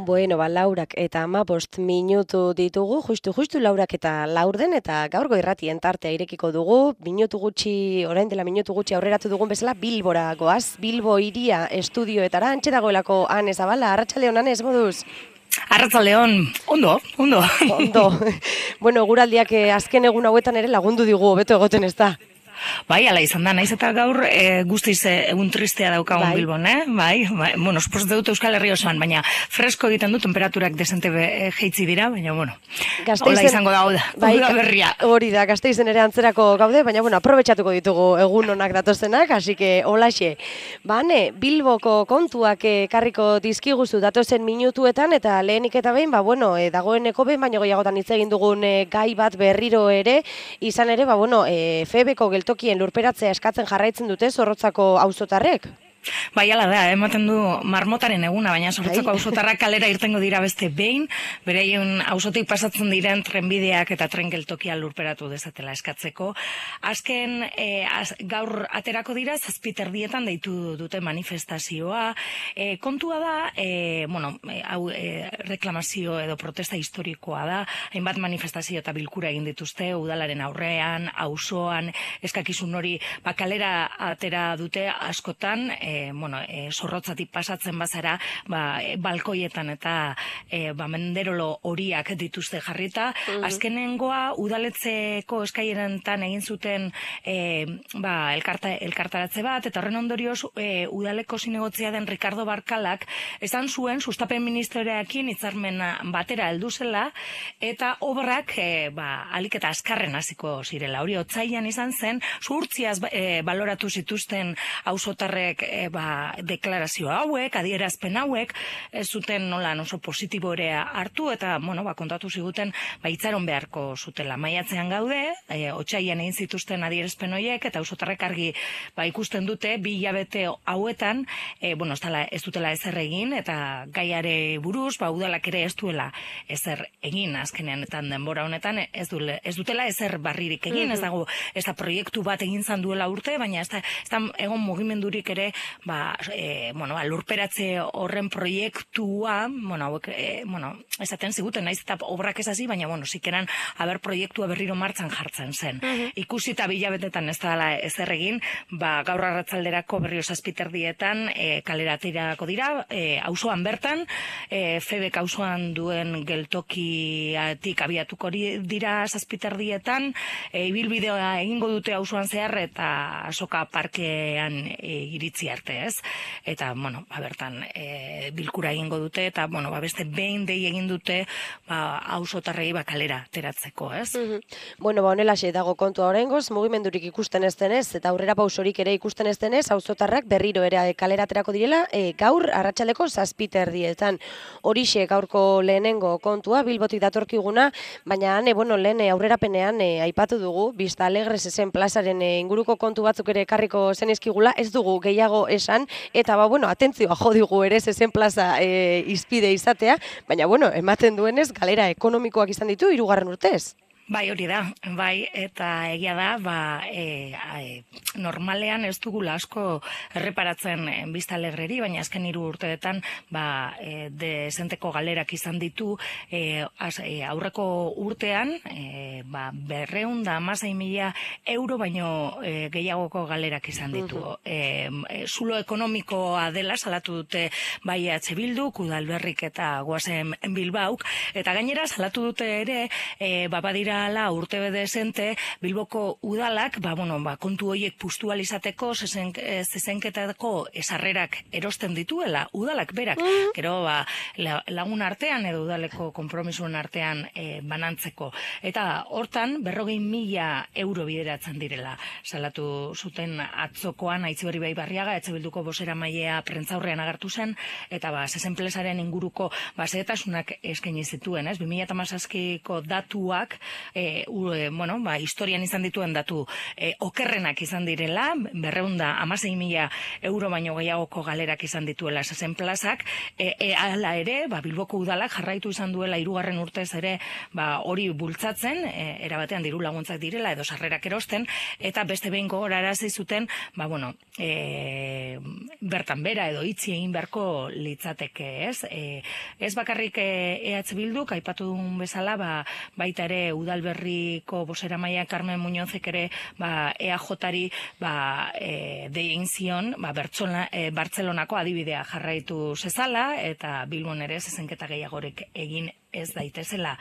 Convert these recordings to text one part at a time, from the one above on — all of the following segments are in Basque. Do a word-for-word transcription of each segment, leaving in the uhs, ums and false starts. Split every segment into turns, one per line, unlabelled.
Bueno, ba, laurak eta amabost minutu ditugu, justu, justu laurak eta laurden, eta gaurgo irratien tartea irekiko dugu, minutu gutxi, orain dela minutu gutxi aurreratu dugun bezala, Bilbora goaz, Bilbo iria estudioetara, antxe dagoelako Ane Zabala, Arratsaldeon Ane, ez moduz?
Arratsaldeon, ondo, ondo.
Ondo. Bueno, guraldiak azken egun hauetan ere lagundu digu, hobeto egoten ez da.
Bai, ala izan da, naiz eta gaur e, guztiz e, egun tristea daukagun bai. Bilbon, eh? Bai, bai, bueno, espoz dut Euskal Herri osoan, baina fresko egiten du, temperaturak desente be, jeitzi dira, baina, bueno, hola izango da, da, bai, da berria.
Hori da, Gasteizen ere antzerako gaude, baina, bueno, aprobetxatuko ditugu egun onak datozenak, hasi que holaxe. Bane, Bilboko kontuak ekarriko dizkiguzu datozen minutuetan, eta lehenik eta behin, ba, bueno, e, dagoeneko behin, baina goiagotan hitz egin dugun e, gai bat berriro ere, izan ere, ba, bueno, e, Febeko geltoki tokien lurperatzea eskatzen jarraitzen dute Zorrotzako auzotarrek.
Bai, ala da, ematen du marmotaren eguna, baina Zorrotzako auzotarrak kalera irtengo dira beste behin, bereien auzotik pasatzen diren trenbideak eta tren geltokia lurperatu dezatela eskatzeko. Azken e, az, gaur aterako dira zazpiterdietan deitu dute manifestazioa. E, kontua da, e, bueno, hau e, reklamazio edo protesta historikoa da, hainbat manifestazio eta bilkura egin dituzte, udalaren aurrean, auzoan, eskakizun hori, ba, kalera atera dute askotan, e, bueno, e, Zorrotzatik pasatzen bazara, ba, e, balkoietan eta e, ba, menderolo horiak dituzte jarrita. Mm-hmm. Azkenengoa, udaletzeko eskaierentan egin zuten e, ba, elkarta, elkartaratze bat, eta horren ondorioz, e, udaleko zinegotzia den Ricardo Barkalak, esan zuen, sustapen ministereakin hitzarmen batera heldu zela, eta obrak, e, ba, alik eta azkarren hasiko zirela. Hori, otsailean izan zen, zuhurtziaz e, baloratu zituzten auzotarrek e, ba, deklarazio hauek, adierazpen hauek, ez zuten nola oso positibo ere hartu, eta, bueno, ba, kontatu ziguten, ba, itzaron beharko zutela. Maiatzean gaude, e, otsailean egin zituzten adierazpen horiek, eta auzotarrek argi, ba, ikusten dute, bi hilabete hauetan, e, bueno, ez, dala, ez dutela ezer egin, eta gaiare buruz, ba, udalak ere ez duela ezer egin, azkenean, eta denbora honetan, ez, dule, ez dutela ezer barririk egin, ez dago, ez da proiektu bat egin zan duela urte, baina ez da, ez da egon mugimendurik ere, ba, e, bueno, lurperatze horren proiektua, bueno, hauek, e, bueno, esaten ziguten, naiz eta obrak ez hasi, baina, bueno, zikeran, haber proiektua berriro martzan jartzen zen. Uh-huh. Ikusi eta bilabetetan ez dela ezer egin, ba, gaur arratzalderako berrio zazpiterdietan, e, kalera aterako dira, e, auzoan bertan, e, Febek auzoan duen geltokiatik abiatuko dira zazpiterdietan, e, ibilbidea egingo dute auzoan zehar, eta Azoka parkean e, iritzi arte, ez? Eta, bueno, ba, bertan e, bilkura egingo dute, eta, bueno, ba, beste behin dei egin dute, ba, auzotarrei ba, kalera teratzeko, ez?
Mm-hmm. Bueno, ba, honelaxe dago kontua oraingoz, mugimendurik ikusten ez denez, eta aurrera pausorik ere ikusten ez denez, auzotarrak berriro ere kalera aterako direla, e, gaur arratsaldeko zazpiterdietan. Horixe gaurko lehenengo kontua, Bilbotik datorkiguna, baina, ane, bueno, lehen aurrerapenean e, aipatu dugu, Vista Alegre zezen plazaren e, inguruko kontu batzuk ere ekarriko zenizkigula, ez dugu gehiago esan, eta ba, bueno, atentzioa jo digu ere zezen plaza e, izpide izatea, baina, bueno, ematen duenez, galera ekonomikoak izan ditu hirugarren urtez.
Bai, hori da, bai, eta egia da, ba, e, e, normalean ez dugula asko erreparatzen Vista Alegreri, baina azken hiru urteetan, ba, e, dezenteko galerak izan ditu, e, az, e, aurreko urtean, e, ba, berreun da hamasei mila euro baino e, gehiagoko galerak izan ditu. Uh-huh. e, e, zulo ekonomikoa dela salatu dute bai E H Bilduk, Udalberrik eta Goazen Bilbauk, eta gainera salatu dute ere, e, ba, badira la urte bedezente, Bilboko udalak, ba, bueno, ba, kontu horiek pustualizateko, zezenketako esarrerak erosten dituela, udalak berak, mm. gero, ba, lagun artean edo udaleko konpromisun artean e, banantzeko. Eta hortan, berrogei mila euro bideratzen direla. Salatu zuten atzokoan, Aitziberri Bai Barriaga, Etxe Bilduko bozera mailea prentzaurrean agertu zen, eta ba, zezenplesaren inguruko ba, zehetasunak eskaini zituen, ez? bi mila hamazazpiko datuak, e, u, e, bueno, ba, historian izan dituen datu e, okerrenak izan direla, berreunda hamasei mila euro baino gehiagoko galerak izan dituela zezen plazak, e, e, ala ere, ba, Bilboko udalak jarraitu izan duela hirugarren urtez ere ba, hori bultzatzen, e, erabatean diru laguntzak direla edo sarrerak erosten, eta beste behin gogorarazi zuten, ba, bueno, e, bertan bera edo itzi egin beharko litzateke, ez? E, ez bakarrik E H Bilduk, aipatu duen bezala, ba, baita ere Udalberriko boseramailea Carmen Muñozek ere ba, E A Jari ba, e, dein zion ba, Bertzola, e, Bartzelonako adibidea jarraitu zezala, eta Bilbon ere zezenketa gehiagorek egin ez daitezela.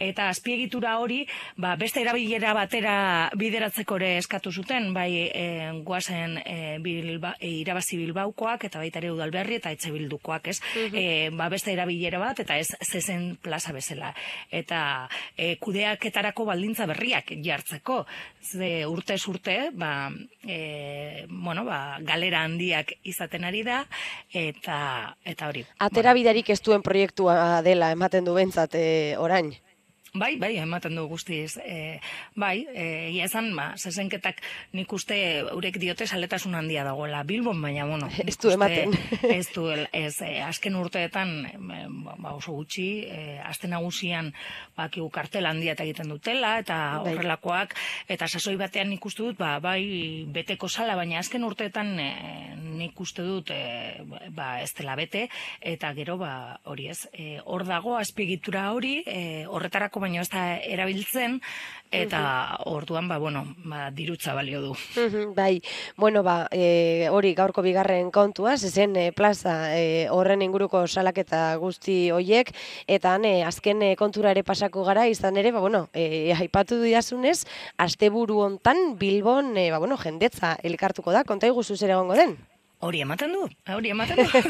Eta azpiegitura hori, ba, beste erabilera batera bideratzeko ere eskatu zuten, bai e, guazen e, bilba, e, irabazi Bilbaukoak, eta baita ere Udalberri eta Etxe Bildukoak, ez? Uh-huh. e, ba, beste erabilera bat, eta ez zezen plaza bezala. Eta e, kudeaketarako baldintza berriak jartzeko. Ze urtez urte, ba, e, bueno, ba, galera handiak izaten ari da, eta, eta hori.
Atera bidarik ez duen proiektua dela, ematen du bentsat, e, orain.
Bai, bai, ematen du guztiz. E, bai, egia esan, ba, zezenketak nik uste eurek diote saletasun handia dagoela Bilbon, baina, bueno,
ez du ematen.
Ez du, ez, e, azken urteetan, e, ba, oso gutxi, e, azten nagusian, ba, kigu kartel handia eta egiten dutela, eta bai, horrelakoak, eta sasoi batean nik uste dut, ba, bai, beteko sala, baina azken urteetan e, nik uste dut, e, ba, ez dela bete, eta gero, ba, hori ez, e, hor dago, azpiegitura hori, e, horretarako baina ez da erabiltzen, eta orduan, ba, bueno, ba, dirutza balio du.
Bai, bueno, ba, e, hori gaurko bigarren kontua, zezen e, plaza e, horren inguruko salaketa guzti hoiek, eta e, azken e, kontura ere pasako gara, izan ere, ba, bueno, e, aipatu didazunez, asteburu hontan Bilbon, e, ba, bueno, jendetza elkartuko da, konta iguzu zer egongo den?
Hori ematen du, hori ematen du.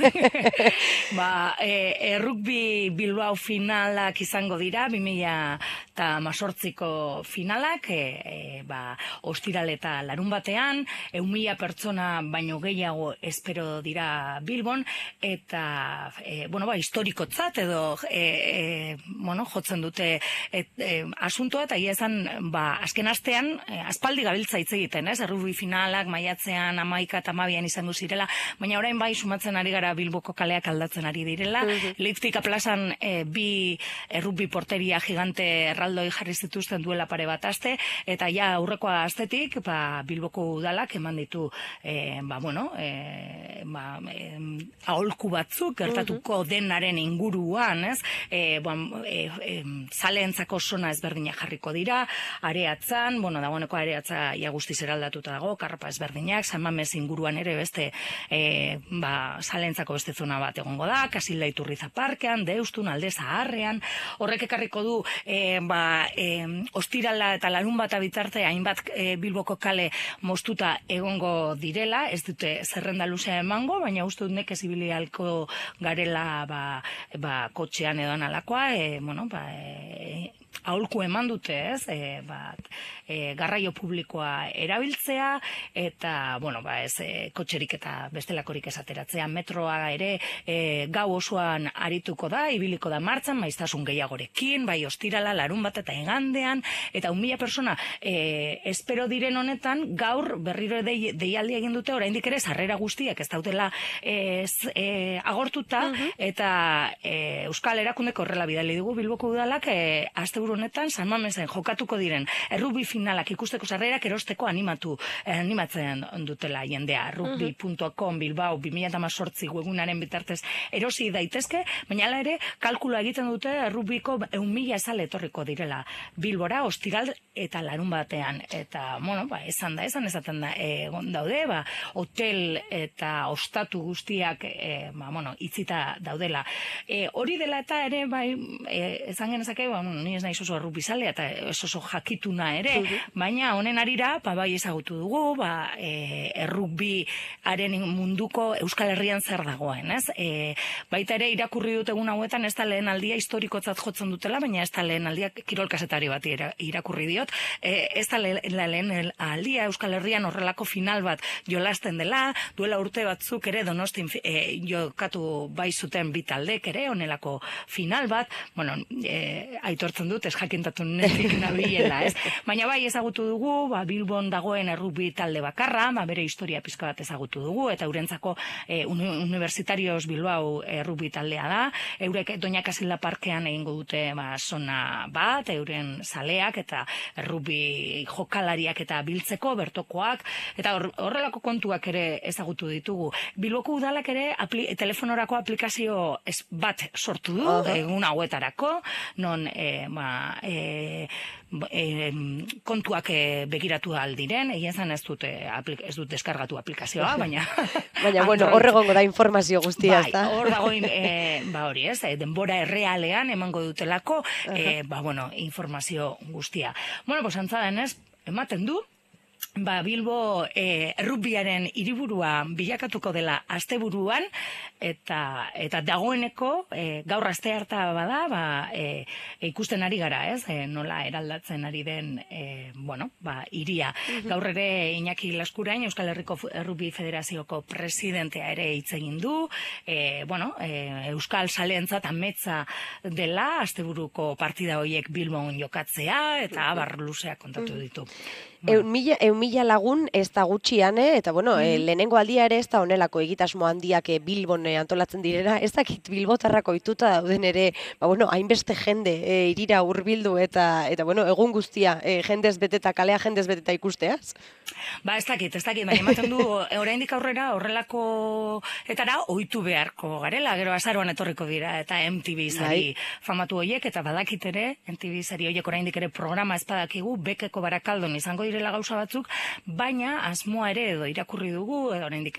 ba, e, e, rugby Bilbao finalak izango dira, bi mila hemezortziko finalak, e, e, ba, ostiral eta larun batean, ehun mila pertsona baino gehiago espero dira Bilbon, eta, e, bueno, ba, historikotzat edo, e, e, bueno, jotzen dute et, e, asuntoa, eta esan, ba, azken astean, e, aspaldi gabiltza hitz egiten, ez? Rugby finalak maiatzean hamaika eta hamabian izango ziren, baina orain bai sumatzen ari gara Bilboko kaleak aldatzen ari direla. Uh-huh. Liptika plazan e, bi e, rugby porteria gigante erraldoi jarri zituzten duela pare bat aste, eta ja aurrekoa astetik ba, Bilboko udalak eman ditu e, ba, bueno, e, ba, e, aholku batzuk gertatuko uh-huh. denaren inguruan, ez? E, ba, e, e, zaleentzako zona ezberdinak jarriko dira, areatzan, bueno, dagoeneko areatza ja guztiz eraldatuta dago, karrapa ezberdinak, San Mamés inguruan ere beste E, ba, salentzako beste zona bat egongo da, Kasila Iturriza parkean, Deustun, Alde Zaharrean, horrek ekarriko du e, ba, e, ostirala eta larun bat bitarte hainbat e, Bilboko kale moztuta egongo direla, ez dute zerrenda luzea emango, baina uste dut nekez ibili halko garela ba, ba, kotxean edo analakoa, e, bueno, ba, e, aholku eman dute, ez, e, bat, e, garraio publikoa erabiltzea, eta, bueno, ba, ez, e, kotxerik eta bestelakorik esateratzea, metroa ere e, gau osoan arituko da, ibiliko da martxan, maiztasun gehiagorekin, bai ostirala, larun bat eta egandean, eta un mila persona e, espero diren honetan, gaur berriro dei, deialdi egin dute, oraindik ere sarrera guztiak ez daudela e, e, agortuta, uh-huh. eta e, Euskal Erakundeko horrela bidali dugu Bilboko udalak, e, asteburu honetan San Mamesen jokatuko diren errugbi finalak ikusteko sarrerak erosteko animatu eh, animatzen dutela jendea. rugby puntu com Bilbao bi mila hemezortzi webgunaren bitartez erosi daitezke, baina hala ere kalkula egiten dute errugbiko ehun mila zale etorriko direla Bilbora ostiral eta larun batean, eta bueno, ba, esan da, esan esaten da egon daude, ba, hotel eta ostatu guztiak e, ba, bueno, itzita daudela. E, hori dela eta ere bai, e, esan genezake, ba, bueno, ni ez naiz oso errugbi-zalea eta ez oso jakituna ere, baina honen arira, ba, bai ezagutu dugu, ba, e, errugbiaren munduko Euskal Herrian zer dagoen, ez? E, baita ere irakurri dut egun hauetan ez da lehen aldia historikotzat jotzen dutela, baina ez da lehen aldia kirolkazetari bat irakurri diot, e, ez da lehen aldia Euskal Herrian horrelako final bat jolasten dela, duela urte batzuk ere Donostin e, jokatu bai zuten bi taldek ere, honelako final bat, bueno, e, aitortzen dut dut, ez jakintatu nezik nabilela, ez? Baina bai ezagutu dugu, ba, Bilbon dagoen errugbi talde bakarra, ba, bere historia pizka bat ezagutu dugu, eta eurentzako e, Universitarios Bilbao errugbi taldea da, eurek Doña Casilda Parkean egingo dute ba, zona bat, euren zaleak eta errugbi jokalariak eta biltzeko, bertokoak, eta horrelako kontuak ere ezagutu ditugu. Bilboko udalak ere apli, telefonorako aplikazio ez bat sortu du, uh-huh. egun hauetarako, non e, ba, e, e, kontuak e, begiratu aldiren, egia zen ez dut, e, aplik, ez dut deskargatu aplikazioa, baina...
baina, bueno, horregongo da informazio guztia,
bai, hor dago, e, ba hori ez, denbora errealean emango dutelako, uh-huh. e, ba, bueno, informazio guztia. Bueno, pues antzaden ez, ematen du, ba, Bilbo e, errugbiaren hiriburua bilakatuko dela asteburuan, eta eta dagoeneko e, gaur aste harta bada, ba, e, e, ikusten ari gara, ez? E, nola eraldatzen ari den, e, bueno, ba, hiria. Uh-huh. Gaur ere Iñaki Laskurain, Euskal Herriko Errugbi Federazioko presidentea ere hitz egin du, e, bueno, e, Euskal Saleentzat ametsa dela asteburuko partida horiek Bilbon jokatzea, eta abar luzeak kontatu ditu.
Bueno. Eun mila, eun mila lagun ez da gutxian, eh? Eta bueno, mm-hmm. e, lehenengo aldia ere ez da honelako egitasmo handiak Bilbon e, antolatzen direra, ez dakit bilbotarrako ituta dauden ere, ba bueno, hainbeste jende e, irira hurbildu eta eta bueno, egun guztia e, jendez beteta, kalea jendez beteta ikusteaz?
Ba ez dakit, ez dakit, baina ematen du oraindik aurrera horrelako etara ohitu beharko garela, gero azaroan etorriko dira, eta M T V sari famatu horiek, eta badakit ere, M T V sari horiek oraindik ere programa ez badakigu, Bekeko Barakaldon izango direla gauza batzuk, baina asmoa ere edo irakurri dugu, edo oraindik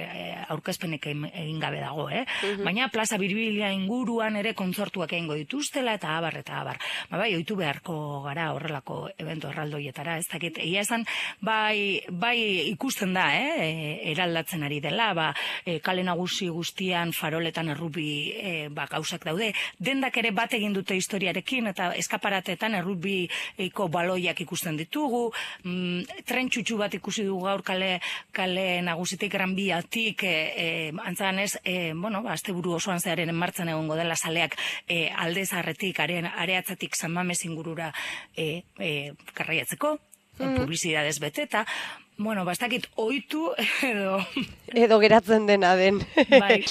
aurkezpenek egin gabe dago, eh? Uh-huh. Baina plaza Birbilia inguruan ere kontzertuak egingo dituztela eta abar eta abar. Ba bai, ohitu beharko gara horrelako evento erraldoietara, ez dakit. Egia esan bai bai ikusten da, eh, eraldatzen ari dela, ba, e, kale nagusi guztian faroletan errugbi e, ba gauzak daude. Dendak ere bat egin dute historiarekin eta eskaparatetan errugbiko baloiak ikusten ditugu. Mm, tren txutxu bat ikusi dugu gaur kale, kale nagusitik Gran Biatik, e, e, antzanez, e, bueno, ba, asteburu osoan zearen martzan egongo dela zaleak e, alde zaharretik, areatzatik San Mames ingurura e, e, garraiatzeko, mm. publizidadez beteta. Bueno, bastakit ohitu edo...
edo geratzen dena den.
Bai.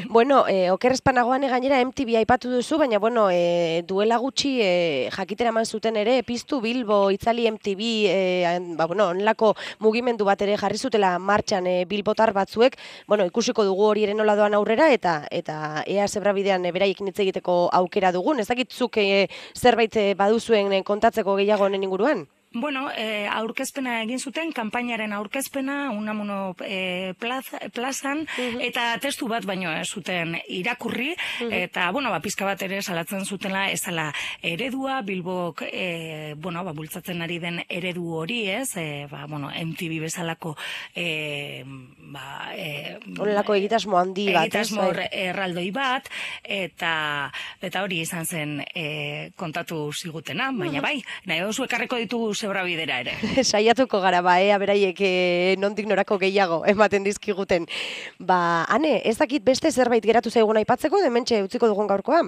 Bueno, eh, oker espanagoan gainera M T V aipatu duzu, baina bueno, eh, duela gutxi eh, jakitera eman zuten ere, piztu Bilbo, itzali M T V, eh, ba, bueno, onlako mugimendu bat ere jarri zutela martxan eh, bilbotar batzuek, bueno, ikusiko dugu hori ere nola doan aurrera, eta eta ea zebrabidean eh, beraiekin hitz egiteko aukera dugun, ez dakitzuk eh, zerbait eh, baduzuen eh, kontatzeko gehiago honen inguruan?
Bueno, eh, aurkezpena egin zuten, kanpainaren aurkezpena, Unamuno eh, plaza, plazan, uh-huh. eta testu bat baino ez zuten irakurri, uh-huh. eta, bueno, ba, pizka bat ere salatzen zutela, ez dela eredua, Bilbok, eh, bueno, ba, bultzatzen ari den eredu hori, ez, eh, ba, bueno, M T V bezalako, eh, ba, eh,
Horrelako egitasmo handi bat,
egitasmo erraldoi bat, eta, eta hori izan zen eh, kontatu zigutena, baina uh-huh. bai, nahi oso ekarriko ditugu zebra bidera ere.
Saiatuko gara, ba, ea beraiek e, nondik norako gehiago ematen dizkiguten. Ba, ane, ez dakit beste zerbait geratu zaigun aipatzeko, dementxe utziko dugun gaurkoa?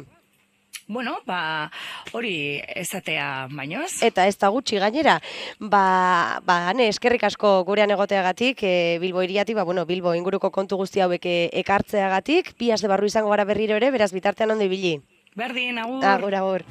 Bueno, ba, hori ezatea bainoz.
Eta ez da gutxi gainera. Ba, ba, ane, eskerrik asko gurean egoteagatik, e, Bilbo hiriatik, ba, bueno, Bilbo inguruko kontu guzti hauek ekartzeagatik, bi aste barru izango gara berriro ere, beraz bitartean ondo ibili.
Berdin, agur.
Agur, agur.